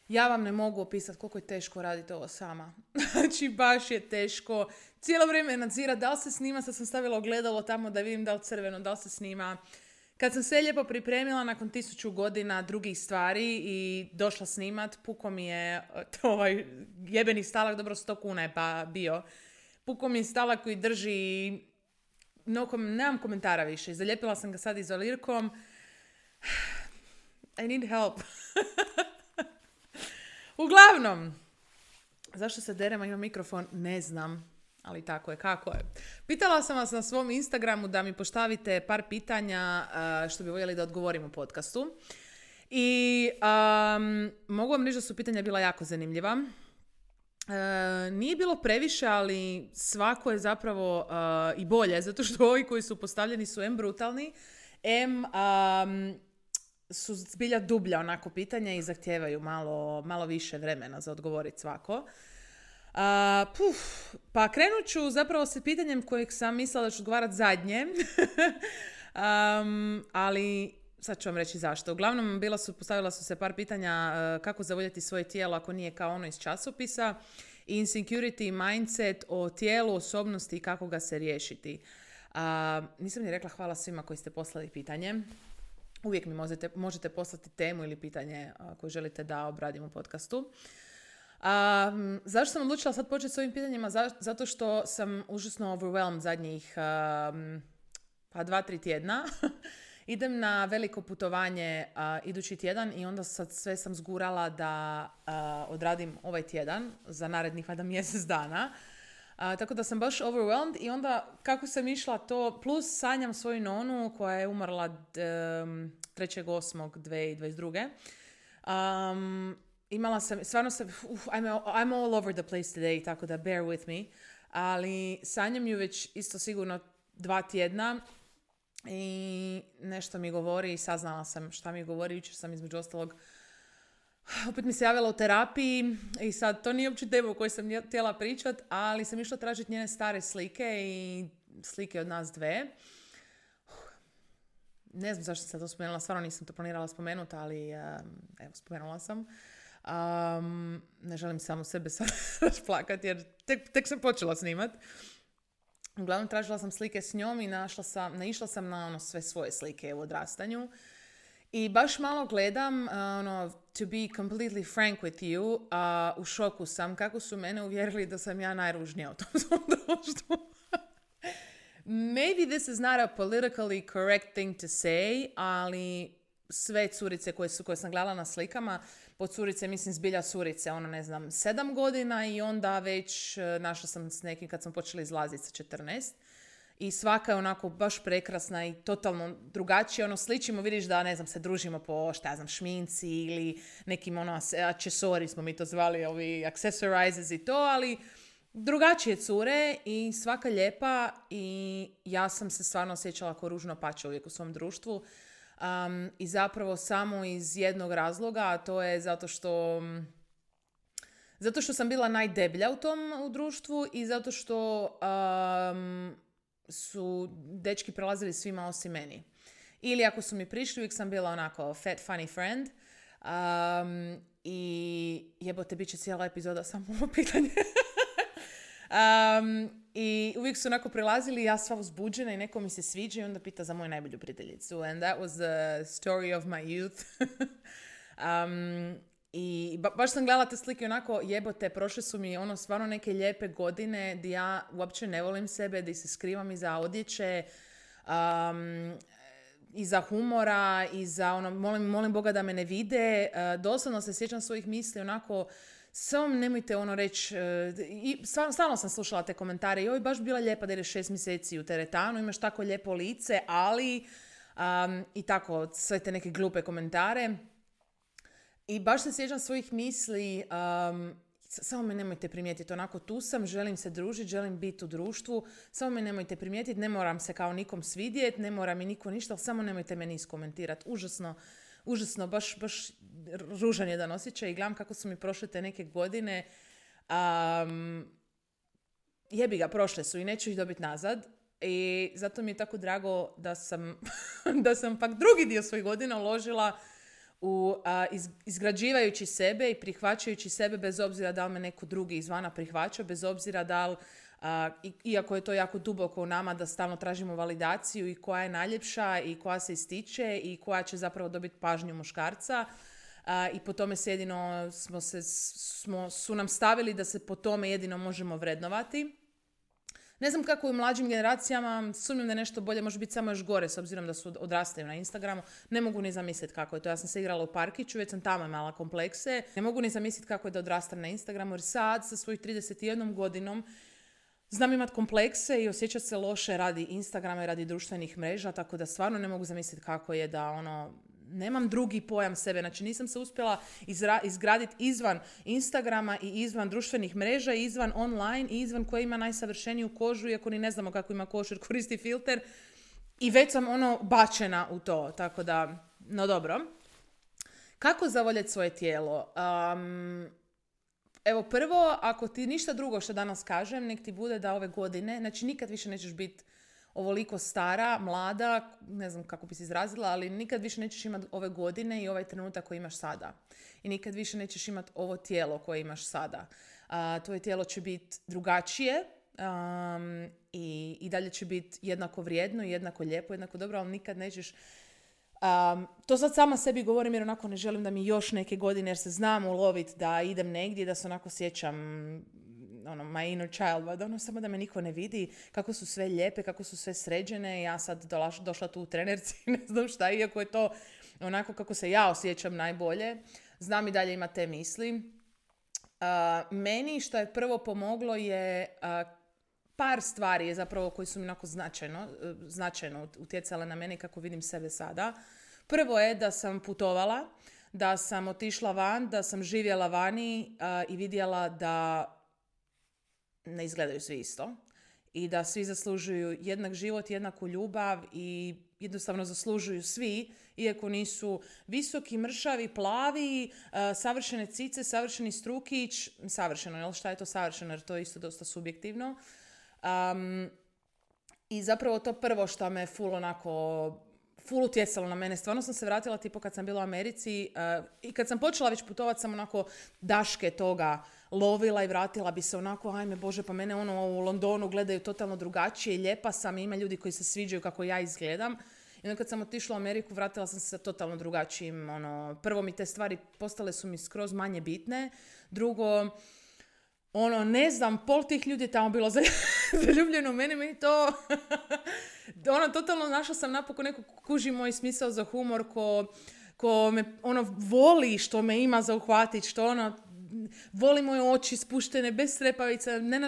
Ja vam ne mogu opisati koliko je teško raditi ovo sama. Znači, baš je teško. Cijelo vrijeme nadzira da li se snima, sad sam stavila ogledalo tamo da vidim da li crveno, da li se snima. Kad sam sve lijepo pripremila nakon 1000 godina drugih stvari i došla snimat, puko mi je ovaj jebeni stalak, dobro 100 kuna je pa bio. Puko mi je stalak koji drži, nemam komentara više. Zalijepila sam ga sad izolirkom. I need help. Uglavnom, zašto se derema ima mikrofon? Ne znam, ali tako je kako je. Pitala sam vas na svom Instagramu da mi postavite par pitanja što bi voljeli da odgovorim u podcastu. I mogu vam reći da su pitanja bila jako zanimljiva. Nije bilo previše, ali svako je zapravo i bolje, zato što ovi koji su postavljeni su brutalni, su zbilja dublja onako pitanja i zahtijevaju malo više vremena za odgovoriti svako. Pa krenut ću zapravo sa pitanjem kojeg sam mislila da ću odgovarati zadnje, ali sad ću vam reći zašto. Uglavnom postavila su se par pitanja kako zavoljeti svoje tijelo ako nije kao ono iz časopisa, i insecurity, mindset o tijelu, osobnosti i kako ga se riješiti. Nisam ni rekla hvala svima koji ste poslali pitanje. Uvijek mi možete poslati temu ili pitanje koje želite da obradim u podcastu. Zašto sam odlučila sad početi s ovim pitanjima? Zato što sam užasno overwhelmed zadnjih 2-3 tjedna. Idem na veliko putovanje idući tjedan i onda sad sve sam zgurala da odradim ovaj tjedan za narednih mjesec dana. Tako da sam baš overwhelmed i onda kako sam išla to, plus sanjam svoju nonu koja je umrla 3.8.2022. Imala sam, stvarno sam, I'm all over the place today, tako da bear with me, ali sanjam ju već isto sigurno 2 tjedna i nešto mi govori i saznala sam šta mi govori. Jučer sam između ostalog opet mi se javila u terapiji i sad to nije uopće tema o kojoj sam htjela pričat, ali sam išla tražiti njene stare slike i slike od nas dve. Ne znam zašto sam sad to spomenula, stvarno nisam to planirala spomenuti, ali evo, spomenula sam. Ne želim samo sebe sad plakati jer tek sam počela snimat. Uglavnom tražila sam slike s njom i naišla sam na sve svoje slike u odrastanju. I baš malo gledam, to be completely frank with you, u šoku sam kako su mene uvjerili da sam ja najružnija u tom svom društvu. Maybe this is not a politically correct thing to say, ali sve curice koje sam gledala na slikama, po curice mislim zbilja curice, 7 godina i onda već našla sam s nekim kad sam počela izlaziti sa 14. I svaka je onako baš prekrasna i totalno drugačija. Sličimo, vidiš da, se družimo po, šminci ili nekim accessori smo mi to zvali, ovi accessorizes i to, ali drugačije cure i svaka lijepa i ja sam se stvarno osjećala kao ružno pače uvijek u svom društvu. I zapravo samo iz jednog razloga, a to je zato što sam bila najdeblja u društvu i zato što su dečki prelazili svima osim meni. Ili ako su mi prišli, uvijek sam bila onako fat, funny friend. I jebote, bit će cijela epizoda samo ovo pitanje. I uvijek su onako prelazili, ja sva uzbuđena i neko mi se sviđa i onda pita za moju najbolju prijateljicu. And that was the story of my youth. I baš sam gledala te slike onako, jebote, prošle su mi stvarno neke lijepe godine gdje ja uopće ne volim sebe, gdje se skrivam iza odjeće, iza humora, iza molim Boga da me ne vide. Doslovno se sjećam svojih misli onako, samo nemojte reći, stalno sam slušala te komentare, joj, baš bila lijepa da ideš 6 mjeseci u teretanu, imaš tako lijepo lice, ali i tako, sve te neke glupe komentare. I baš se sjećam svojih misli, samo me nemojte primijetiti, onako tu sam, želim se družiti, želim biti u društvu, samo me nemojte primijetiti, ne moram se kao nikom svidjeti, ne mora mi niko ništa, ali samo nemojte me iskomentirati. Užasno, baš ružan jedan osjećaj i gledam kako su mi prošle te neke godine. Jebi ga, prošle su i neću ih dobiti nazad. I zato mi je tako drago da sam pak drugi dio svojih godina uložila izgrađivajući sebe i prihvaćajući sebe bez obzira da li me neko drugi izvana prihvaća, bez obzira da li, iako je to jako duboko u nama da stalno tražimo validaciju i koja je najljepša i koja se ističe i koja će zapravo dobiti pažnju muškarca. I po tome se jedino su nam stavili da se po tome jedino možemo vrednovati. Ne znam kako u mlađim generacijama, sumnjam da je nešto bolje, može biti samo još gore s obzirom da su odrastali na Instagramu. Ne mogu ni zamisliti kako je to. Ja sam se igrala u parkiću, već sam tamo imala komplekse. Ne mogu ni zamisliti kako je da odrastam na Instagramu, jer sad sa svojih 31 godinom znam imat komplekse i osjećati se loše radi Instagrama i radi društvenih mreža, tako da stvarno ne mogu zamisliti kako je da nemam drugi pojam sebe. Znači nisam se uspjela izgraditi izvan Instagrama i izvan društvenih mreža i izvan online i izvan koja ima najsavršeniju kožu, iako ni ne znamo kako ima kožu jer koristi filter. I već sam bačena u to. Tako da, no dobro. Kako zavoljeti svoje tijelo? Evo prvo, ako ti ništa drugo što danas kažem, nek ti bude da ove godine, znači nikad više nećeš biti ovoliko stara, mlada, ne znam kako bi se izrazila, ali nikad više nećeš imati ove godine i ovaj trenutak koji imaš sada. I nikad više nećeš imati ovo tijelo koje imaš sada. Tvoje tijelo će biti drugačije i dalje će biti jednako vrijedno, jednako lijepo, jednako dobro, ali nikad nećeš... to sad sama sebi govorim jer onako ne želim da mi još neke godine, jer se znam uloviti da idem negdje, da se onako sjećam my inner child, da samo da me niko ne vidi, kako su sve lijepe, kako su sve sređene. Ja sad došla tu u trenerci, ne znam šta, iako je to onako kako se ja osjećam najbolje. Znam i dalje ima te misli. Meni što je prvo pomoglo je par stvari je zapravo koji su mi onako značajno utjecale na mene kako vidim sebe sada. Prvo je da sam putovala, da sam otišla van, da sam živjela vani i vidjela da ne izgledaju svi isto i da svi zaslužuju jednak život, jednaku ljubav i jednostavno zaslužuju svi, iako nisu visoki, mršavi, plavi, savršene cice, savršeni strukić, savršeno, jel šta je to savršeno, jer to je isto dosta subjektivno. I zapravo to prvo što me ful utjecalo na mene. Stvarno sam se vratila tipo kad sam bila u Americi i kad sam počela već putovati sam onako daške toga lovila i vratila bi se onako, ajme Bože, pa mene u Londonu gledaju totalno drugačije i lijepa sam i ima ljudi koji se sviđaju kako ja izgledam. I onda kad sam otišla u Ameriku, vratila sam se sa totalno drugačijim, prvo mi te stvari postale su mi skroz manje bitne. Drugo, ne znam, pol tih ljudi je tamo bilo zaljubljeno u meni to... totalno našla sam napokon neko kuži moj smisao za humor, ko me voli što me ima za uhvatit, što voli moje oči spuštene, bez trepavica, ne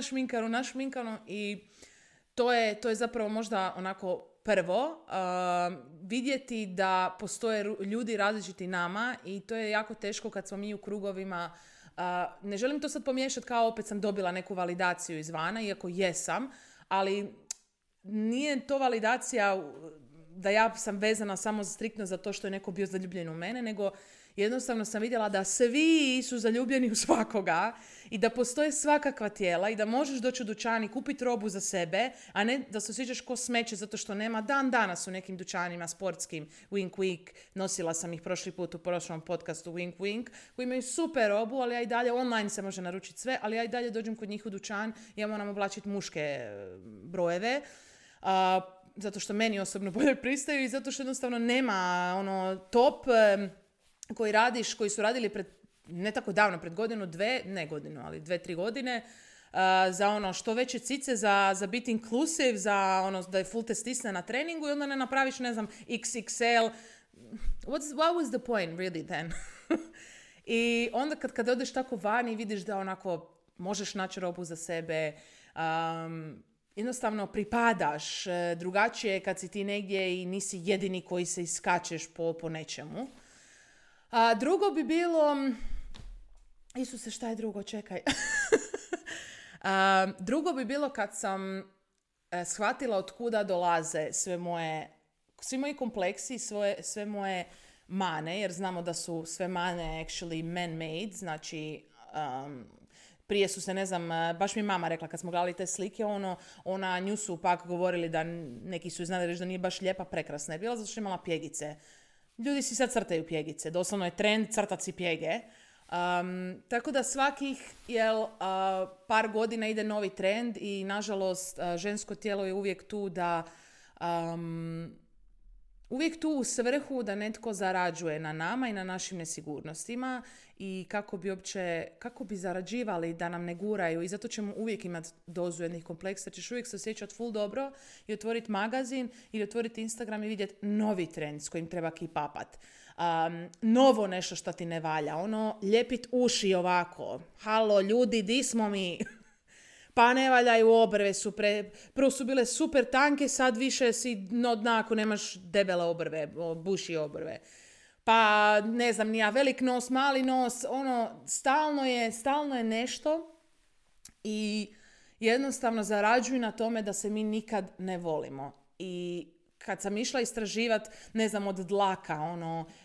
našminkano i to je zapravo možda onako prvo, vidjeti da postoje ljudi različiti nama i to je jako teško kad smo mi u krugovima. Ne želim to sad pomiješati kao opet sam dobila neku validaciju izvana, iako jesam, ali nije to validacija da ja sam vezana samo striktno za to što je neko bio zaljubljen u mene, nego jednostavno sam vidjela da svi su zaljubljeni u svakoga i da postoje svakakva tijela i da možeš doći u dućan i kupiti robu za sebe, a ne da se osjećaš ko smeće zato što nema dan danas u nekim dućanima sportskim, wink wink, nosila sam ih prošli put u prošlom podcastu wink wink, koji imaju super robu, ali ja i dalje online se može naručiti sve, ali ja i dalje dođem kod njih u dućan i ja moram oblačiti muške brojeve, zato što meni osobno bolje pristaju i zato što jednostavno nema top koji su radili ne tako davno, pred godinu, ali 2-3 godine, za što veće cice, za biti inclusive, za da je full te stisne na treningu i onda ne napraviš, ne znam, XXL. What was the point really then? I onda kad odeš tako van i vidiš da onako možeš naći robu za sebe, jednostavno pripadaš, drugačije je kad si ti negdje i nisi jedini koji se iskačeš po nečemu. Drugo bi bilo... Isuse, šta je drugo? Čekaj. Drugo bi bilo kad sam shvatila od kuda dolaze svi moji kompleksi, sve moje mane, jer znamo da su sve mane actually man-made, znači prije su se, ne znam, baš mi mama rekla kad smo gledali te slike, nju su pak govorili da neki su znali reći da nije baš lijepa, prekrasna je bila zato što je imala pjegice. ljudi si sad crtaju pjegice. Doslovno je trend crtat si pjege. Tako da svakih par godina ide novi trend i nažalost žensko tijelo je uvijek tu da uvijek tu u svrhu da netko zarađuje na nama i na našim nesigurnostima i kako bi zarađivali da nam ne guraju i zato ćemo uvijek imati dozu jednih kompleksa, ćeš uvijek se osjećati full dobro i otvoriti magazin ili otvoriti Instagram i vidjeti novi trend s kojim treba keep upat. Novo nešto što ti ne valja, ljepit uši ovako, halo ljudi, di smo mi? Pa ne valjaju obrve, prvo su bile super tanke, sad više si dno dna ako nemaš debele obrve, buši obrve. Pa ne znam, nija velik nos, mali nos, stalno je nešto i jednostavno zarađuju na tome da se mi nikad ne volimo. I kad sam išla istraživati, ne znam, od dlaka,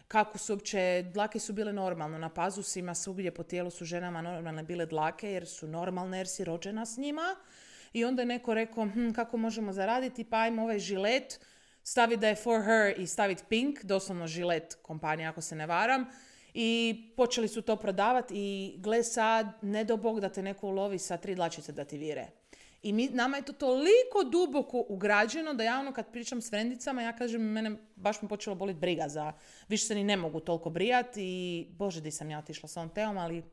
kako su uopće, dlake su bile normalno, na pazusima svugdje po tijelu su ženama normalne bile dlake, jer su normalne, jer si rođena s njima. I onda je neko rekao, kako možemo zaraditi, pa ajmo ovaj žilet, staviti da je for her i staviti pink, doslovno žilet kompanija, ako se ne varam. I počeli su to prodavati i gle sad, ne do Bog da te neko ulovi sa 3 dlačice da ti vire. I nama je to toliko duboko ugrađeno da ja kad pričam s frendicama, ja kažem, mene baš mi počelo boliti briga za, više se ni ne mogu toliko brijati i bože di sam ja otišla s ovom temom, ali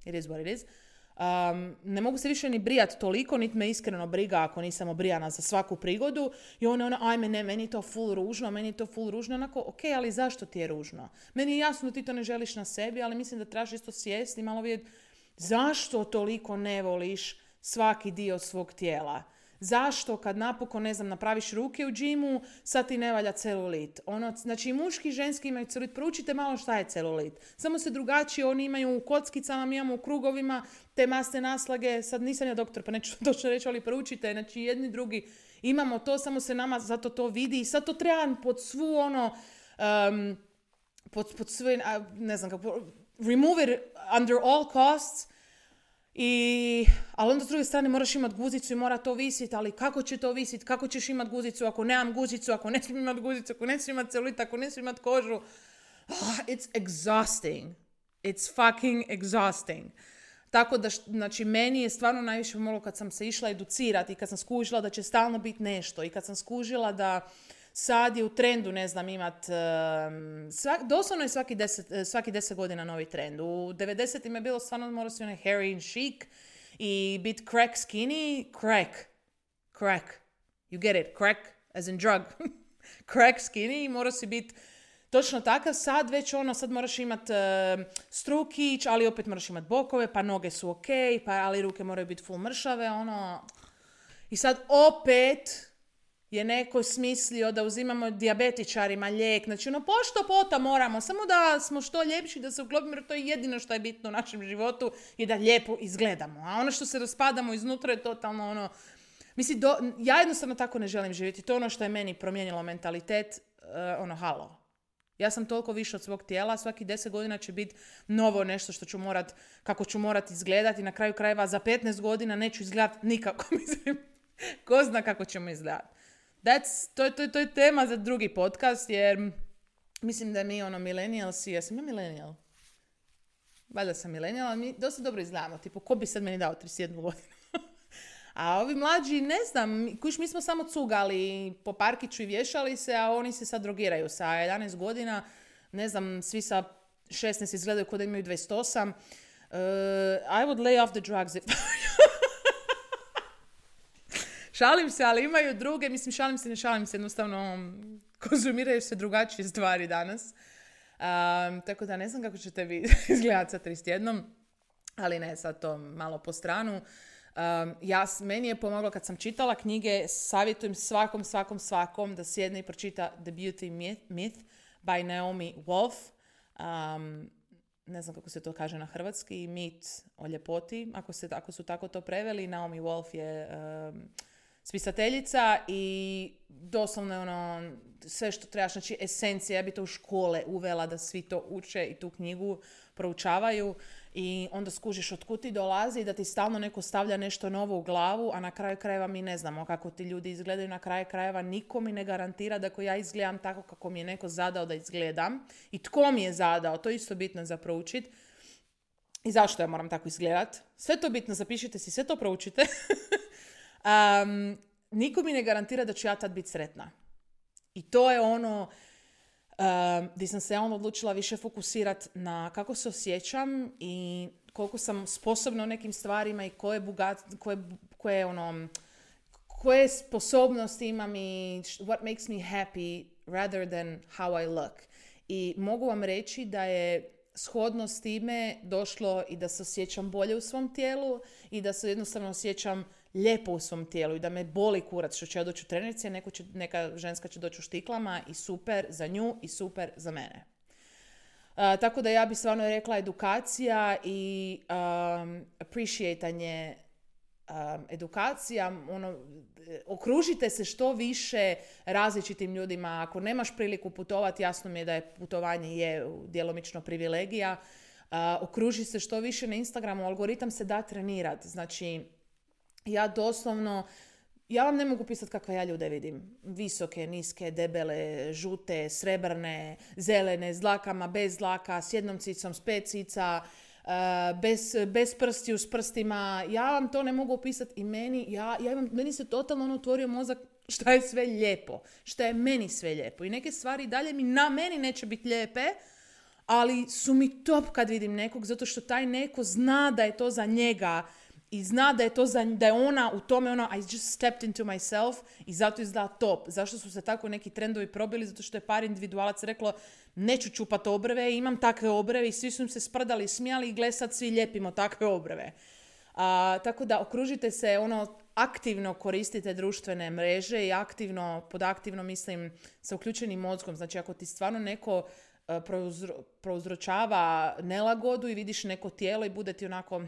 it is what it is. Ne mogu se više ni brijati toliko, niti me iskreno briga ako nisam obrijana za svaku prigodu i ajme ne, meni je to full ružno, onako, ok, ali zašto ti je ružno? Meni je jasno da ti to ne želiš na sebi, ali mislim da trebaš isto sjesti i malo vidjeti zašto toliko ne voliš svaki dio svog tijela. Zašto kad napokon, ne znam, napraviš ruke u džimu, sad ti ne valja celulit? Znači, muški i ženski imaju celulit. Proučite malo šta je celulit. Samo se drugačije, oni imaju u kockicama, mi imamo u krugovima, te masne naslage. Sad nisam ja doktor, pa neću točno reći, ali proučite. Znači, jedni drugi imamo to, samo se nama zato to vidi. I sad to treba pod svu pod sve, ne znam kako, remove it under all costs. Ali onda s druge strane moraš imati guzicu i mora to visiti, ali kako će to visiti, kako ćeš imati guzicu ako nemam guzicu, ako ne smijem imati guzicu, ako ne smijem imati celulit, ako ne smijem imati kožu. It's exhausting. It's fucking exhausting. Tako da, znači, meni je stvarno najviše pomoglo kad sam se išla educirati i kad sam skužila da će stalno biti nešto i kad sam skužila da sad je u trendu, ne znam, imat, doslovno je svaki 10 godina novi trend. U 90-im je bilo stvarno morao si onaj hairy and chic i bit crack skinny, crack. You get it, crack as in drug. Crack skinny, morao si bit točno takav, sad već sad moraš imat strukić, ali opet moraš imat bokove, pa noge su ok, ali ruke moraju biti full mršave, I sad opet je neko smislio da uzimamo dijabetičarima lijek. Znači, pošto pota moramo, samo da smo što ljepši, da se uklopimo, jer to je jedino što je bitno u našem životu i da lijepo izgledamo. A ono što se raspadamo iznutra je totalno Mislim, ja jednostavno tako ne želim živjeti. To je ono što je meni promijenilo mentalitet. Halo. Ja sam toliko više od svog tijela, svaki 10 godina će biti novo nešto što ću kako ću morat izgledati. Na kraju krajeva za 15 godina neću izgledati nikako. Mislim, ko zna kako ćemo izgledati. To je tema za drugi podcast, jer mislim da mi millennialsi, ja sam ja millennial? Valjda sam millennial, ali mi dosta dobro izgledamo. Tipo, ko bi sad meni dao 31 godinu? A ovi mlađi, ne znam, mi smo samo cugali po parkiću i vješali se, a oni se sad drogiraju sa 11 godina. Ne znam, svi sa 16 izgledaju kod da imaju 28. I would lay off the drugs if... Šalim se, ali imaju druge, mislim, ne šalim se, jednostavno konzumiraju se drugačije stvari danas. Tako da ne znam kako ćete vi izgledati sa 31, ali ne, sad to malo po stranu. Meni je pomoglo kad sam čitala knjige, savjetujem svakom da sjedne i pročita The Beauty Myth by Naomi Wolf. Ne znam kako se to kaže na hrvatski, mit o ljepoti, ako su tako to preveli. Naomi Wolf je spisateljica i doslovno je ono sve što trebaš, znači esencija, ja bi to u škole uvela da svi to uče i tu knjigu proučavaju i onda skužiš od kud ti dolazi i da ti stalno neko stavlja nešto novo u glavu, a na kraju krajeva mi ne znamo kako ti ljudi izgledaju, na kraju krajeva niko mi ne garantira da ako ja izgledam tako kako mi je neko zadao da izgledam i tko mi je zadao, to je isto bitno za proučit i zašto ja moram tako izgledat. Sve to bitno, zapišite si, sve to proučite. Niko mi ne garantira da ću ja tad biti sretna. I to je ono gdje sam se ja onda odlučila više fokusirati na kako se osjećam i koliko sam sposobna u nekim stvarima i koje sposobnosti imam i what makes me happy rather than how I look. I mogu vam reći da je shodno s time došlo i da se osjećam bolje u svom tijelu i da se jednostavno osjećam lijepo u svom tijelu i da me boli kurac što će ja doći u trenerici, a neka ženska će doći u štiklama i super za nju i super za mene. Tako da ja bi stvarno rekla edukacija i appreciatanje edukacija, okružite se što više različitim ljudima. Ako nemaš priliku putovati, jasno mi je da je putovanje je djelomično privilegija. Okruži se što više na Instagramu, algoritam se da trenirati. Znači, ja doslovno, ja vam ne mogu pisati kakve ja ljude vidim. Visoke, niske, debele, žute, srebrne, zelene, s dlakama, bez dlaka, s jednom cicom, s 5 cica, bez prstiju, s prstima. Ja vam to ne mogu opisati i meni se totalno otvorio mozak šta je sve lijepo. Šta je meni sve lijepo. I neke stvari dalje na meni neće biti lijepe, ali su mi top kad vidim nekog, zato što taj neko zna da je to za njega i zna da je ona u tome I just stepped into myself i zato izgleda top. Zašto su se tako neki trendovi probili? Zato što je par individualaca reklo neću čupat obrve, imam takve obrve i svi su im se sprdali i smijali i gle sad svi ljepimo takve obrve. Tako da okružite se, aktivno koristite društvene mreže i pod aktivno mislim sa uključenim mozgom. Znači ako ti stvarno neko prouzročava nelagodu i vidiš neko tijelo i bude ti onako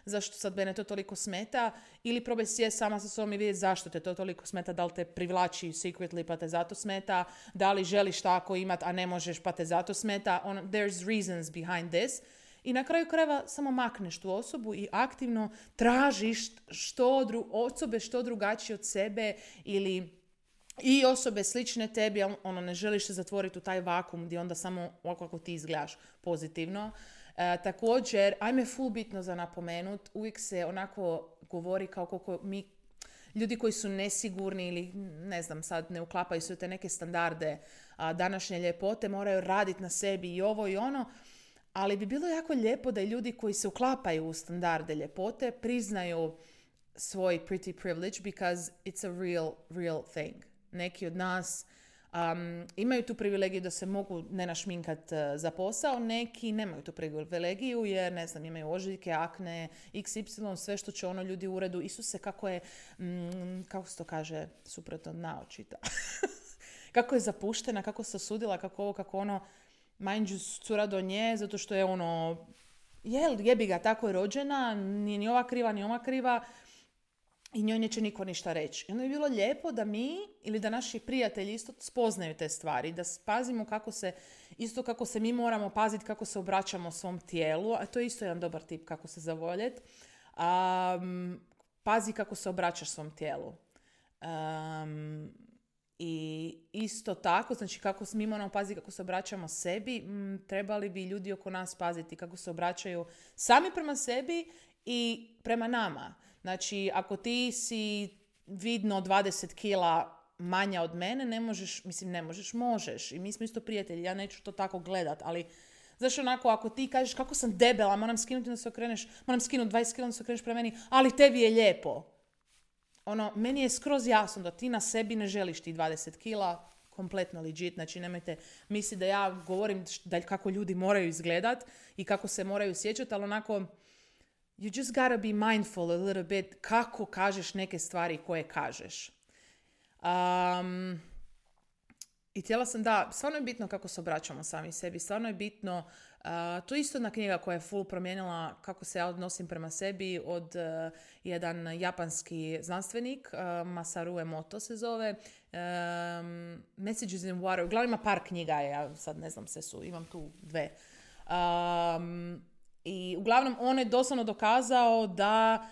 zašto sad mene to toliko smeta, ili probaj sjest sama sa sobom i vidjeti zašto te to toliko smeta, da li te privlači secretly pa te zato smeta, da li želiš tako imat a ne možeš pa te zato smeta, there's reasons behind this. I na kraju krajeva samo makneš tu osobu i aktivno tražiš osobe što drugačije od sebe i osobe slične tebi, ne želiš se zatvoriti u taj vakum gdje onda samo kako ti izgledaš pozitivno. Također, ajme full bitno za napomenut, uvijek se onako govori kao koliko mi, ljudi koji su nesigurni ili ne znam, sad ne uklapaju se u te neke standarde današnje ljepote, moraju raditi na sebi i ovo i ono, ali bi bilo jako lijepo da i ljudi koji se uklapaju u standarde ljepote priznaju svoj pretty privilege because it's a real thing. Neki od nas imaju tu privilegiju da se mogu ne našminkat za posao, neki nemaju tu privilegiju jer, ne znam, imaju ožiljke, akne, XY, sve što će ljudi u uredu. Isuse, kako je, kako se to kaže, suprotno naočita. Kako je zapuštena, kako se osudila, kako mind you, cura do nje, zato što je jebi ga, tako je rođena, nije ni ova kriva, ni ova kriva, i njoj neće niko ništa reći. I onda je bilo lijepo da mi ili da naši prijatelji isto spoznaju te stvari, da pazimo kako se mi moramo paziti kako se obraćamo svom tijelu, a to je isto jedan dobar tip kako se zavoljeti. Pazi kako se obraćaš svom tijelu. I isto tako, znači kako mi moramo paziti kako se obraćamo sebi, trebali bi ljudi oko nas paziti kako se obraćaju sami prema sebi i prema nama. Znači, ako ti si vidno 20 kila manja od mene, možeš. I mi smo isto prijatelji, ja neću to tako gledat, ali znaš onako, ako ti kažeš kako sam debela, moram skinuti 20 kila da se okreneš prema meni, ali tebi je lijepo. Meni je skroz jasno da ti na sebi ne želiš ti 20 kila, kompletno legit, znači nemojte misliti da ja govorim kako ljudi moraju izgledat i kako se moraju sjećati, ali onako, you just gotta be mindful a little bit kako kažeš neke stvari koje kažeš. I htjela sam da, stvarno je bitno kako se obraćamo sami sebi, stvarno je bitno, to je isto jedna knjiga koja je full promijenila kako se ja odnosim prema sebi od jedan japanski znanstvenik, Masaru Emoto se zove, Messages in Water, uglavnom ima par knjiga, ja sad ne znam sve su, imam tu 2. I uglavnom on je doslovno dokazao da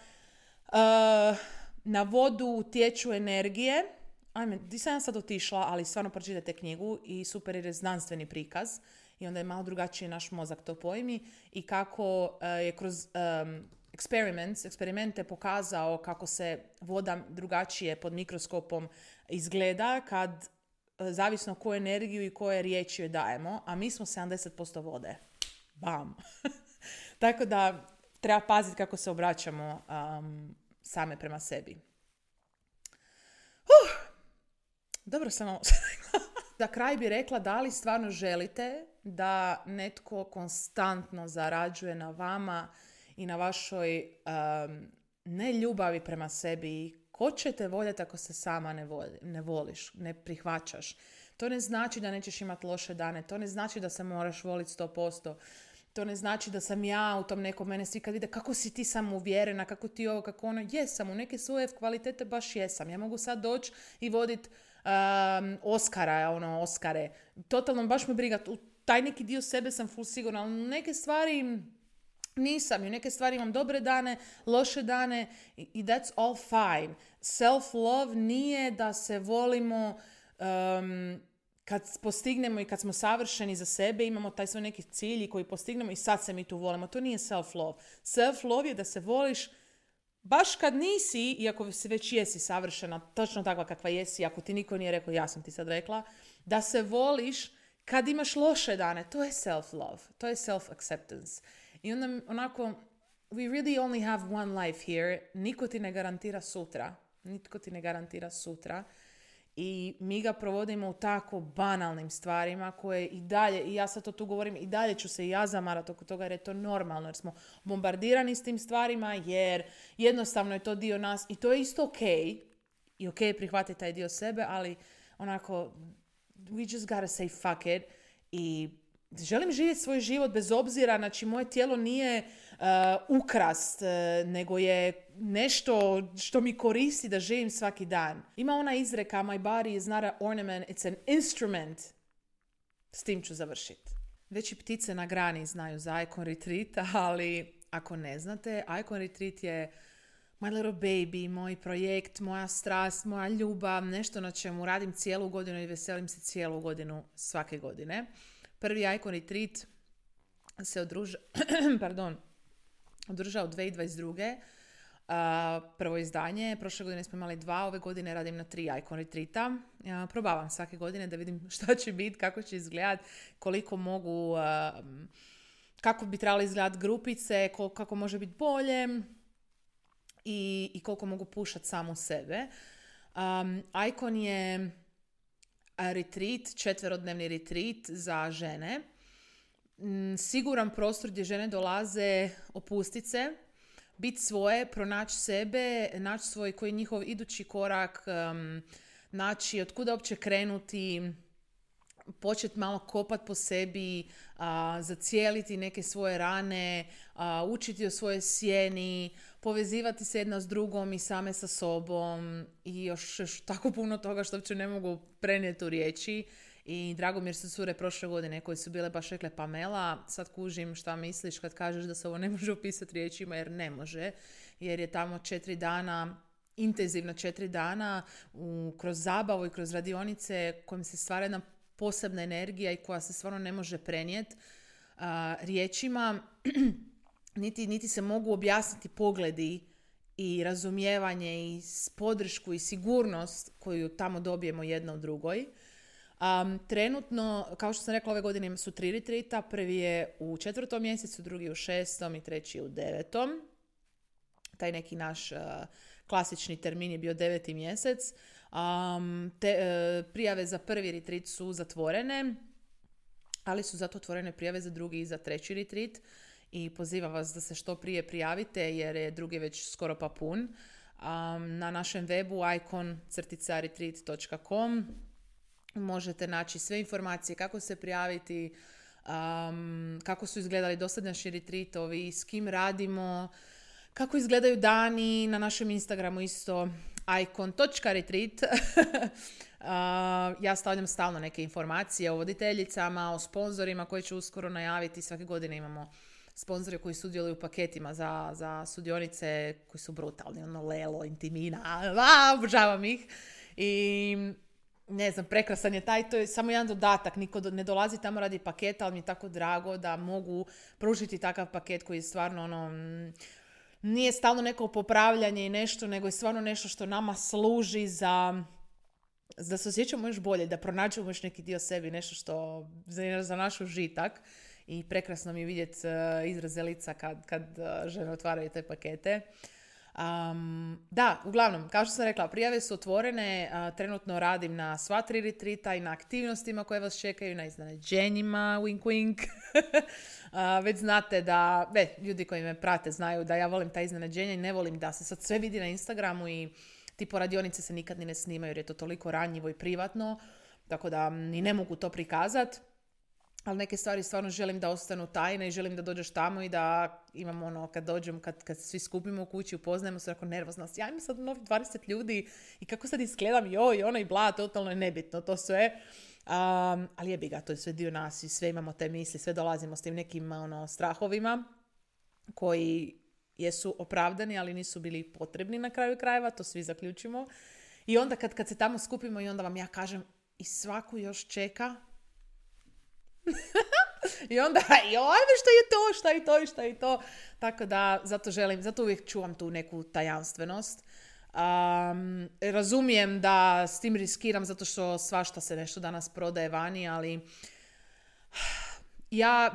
na vodu utječu energije. Ajme, di sam ja sad otišla, ali stvarno pročitajte knjigu i super jer je znanstveni prikaz i onda je malo drugačije naš mozak to pojmi i kako je kroz eksperimente pokazao kako se voda drugačije pod mikroskopom izgleda kad zavisno koju energiju i koje riječi joj dajemo, a mi smo 70% vode. Bam! Tako da treba paziti kako se obraćamo same prema sebi. Dobro sam ovo rekla. Za kraj bi rekla da li stvarno želite da netko konstantno zarađuje na vama i na vašoj neljubavi prema sebi. Ko će te voljeti ako se sama ne voliš, ne prihvaćaš? To ne znači da nećeš imati loše dane, to ne znači da se moraš voliti 100%. To ne znači da sam ja u tom nekom, mene svi kad vide kako si ti samouvjerena, kako ti ovo, kako ono, jesam, u neke svoje kvalitete baš jesam. Ja mogu sad doći i voditi Oskare. Totalno, baš me briga, u taj neki dio sebe sam full sigurna, ali neke stvari nisam. I u neke stvari imam dobre dane, loše dane i that's all fine. Self-love nije da se volimo kad postignemo i kad smo savršeni za sebe, imamo taj svoj neki cilj koji postignemo i sad se mi tu volimo. To nije self-love. Self-love je da se voliš baš kad nisi, iako se već jesi savršena, točno takva kakva jesi, ako ti niko nije rekao, ja sam ti sad rekla, da se voliš kad imaš loše dane. To je self-love. To je self-acceptance. I onda onako, we really only have one life here. Niko ti ne garantira sutra. Nitko ti ne garantira sutra. I mi ga provodimo u tako banalnim stvarima koje i dalje, i ja sad to tu govorim, i dalje ću se i ja zamarati oko toga jer je to normalno, jer smo bombardirani s tim stvarima, jer jednostavno je to dio nas i to je isto okej. I okej je prihvatiti taj dio sebe, ali onako, we just gotta say fuck it. I želim živjeti svoj život bez obzira, znači moje tijelo nije ukrast, nego je nešto što mi koristi da živim svaki dan. Ima ona izreka, my body is not an ornament, it's an instrument. S tim ću završiti. Već i ptice na grani znaju za Icon Retreat, ali ako ne znate, Icon Retreat je my little baby, moj projekt, moja strast, moja ljubav, nešto na čemu radim cijelu godinu i veselim se cijelu godinu svake godine. Prvi Icon Retreat se održao 2022. Prvo izdanje. Prošle godine smo imali 2, ove godine radim na 3 Icon Retreata. Probavam svake godine da vidim šta će biti, kako će izgledati, koliko mogu, kako bi trebali izgledati grupice, kako može biti bolje i koliko mogu pušati samu sebe. Icon je retreat, 4-dnevni retreat za žene. Siguran prostor gdje žene dolaze opustiti se, biti svoje, pronaći sebe, naći svoj koji je njihov idući korak, naći od kuda uopće krenuti, početi malo kopati po sebi, zacijeliti neke svoje rane, učiti o svojoj sjeni, povezivati se jedna s drugom i same sa sobom i još tako puno toga što uopće ne mogu prenijeti u riječi. I drago mi jer su cure prošle godine koje su bile baš rekle Pamela, sad kužim šta misliš kad kažeš da se ovo ne može opisati riječima, jer ne može. Jer je tamo 4 dana, intenzivno 4 dana, kroz zabavu i kroz radionice kojim se stvara jedna posebna energija i koja se stvarno ne može prenijeti riječima. Niti se mogu objasniti pogledi i razumijevanje i podršku i sigurnost koju tamo dobijemo jedna u drugoj. Trenutno, kao što sam rekla, ove godine su 3 retreata. Prvi je u 4. mjesecu, drugi u 6. i treći u 9. Taj neki naš klasični termin je bio 9. mjesec. Prijave za prvi retreat su zatvorene, ali su zato otvorene prijave za drugi i za 3. retreat. I pozivam vas da se što prije prijavite jer je drugi već skoro pa pun. Na našem webu icon-retreat.com možete naći sve informacije kako se prijaviti, kako su izgledali dosadašnji retritovi, s kim radimo, kako izgledaju dani, na našem Instagramu isto icon.retreat. Ja stavljam stalno neke informacije o voditeljicama, o sponzorima koji će uskoro najaviti. Svake godine imamo sponzore koji sudjeluju u paketima za sudionice koji su brutalni. Lelo, Intimina, obožavam ih. I ne znam, prekrasan je taj, to je samo jedan dodatak, niko ne dolazi tamo radi paketa, ali mi je tako drago da mogu pružiti takav paket koji je stvarno nije stalno neko popravljanje i nešto, nego je stvarno nešto što nama služi da se osjećamo još bolje, da pronađemo još neki dio sebi, nešto što za naš užitak. I prekrasno mi je vidjeti izraze lica kad žene otvaraju te pakete. Da, uglavnom, kao što sam rekla, prijave su otvorene, trenutno radim na sva 3 retrita i na aktivnostima koje vas čekaju, na iznenađenjima, wink wink. Već znate da, ljudi koji me prate znaju da ja volim ta iznenađenja i ne volim da se sad sve vidi na Instagramu i tipo radionice se nikad ni ne snimaju jer je to toliko ranjivo i privatno, tako da ni ne mogu to prikazati. Ali neke stvari stvarno želim da ostanu tajne i želim da dođeš tamo i da imamo kad dođem, kad se svi skupimo u kući, upoznajemo se, jako nervozna. Ja imam sad novih 20 ljudi i kako sad izgledam, i bla, totalno je nebitno to sve. Ali jebi ga, to je sve dio nas i sve imamo te misli, sve dolazimo s tim nekim strahovima koji jesu opravdani, ali nisu bili potrebni na kraju krajeva, to svi zaključimo. I onda kad se tamo skupimo i onda vam ja kažem i svaku još čeka i onda, ajme šta je to. Tako da, zato uvijek čuvam tu neku tajanstvenost. Razumijem da s tim riskiram zato što svašta se nešto danas prodaje vani, ali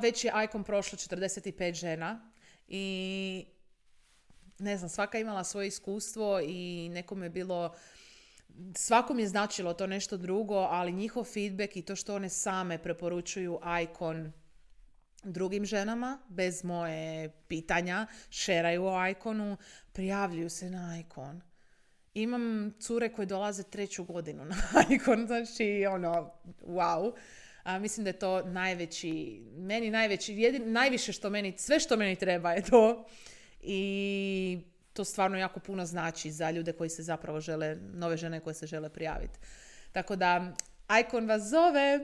već je Icon prošlo 45 žena i ne znam, svaka je imala svoje iskustvo i nekom je bilo, svakom je značilo to nešto drugo, ali njihov feedback i to što one same preporučuju Icon drugim ženama, bez moje pitanja, šeraju o Iconu, prijavljuju se na Icon. Imam cure koje dolaze 3. godinu na Icon, znači wow. Mislim da je to najviše sve što meni treba je to. I to stvarno jako puno znači za ljude koji se zapravo nove žene koje se žele prijaviti. Tako da, Icon vas zove.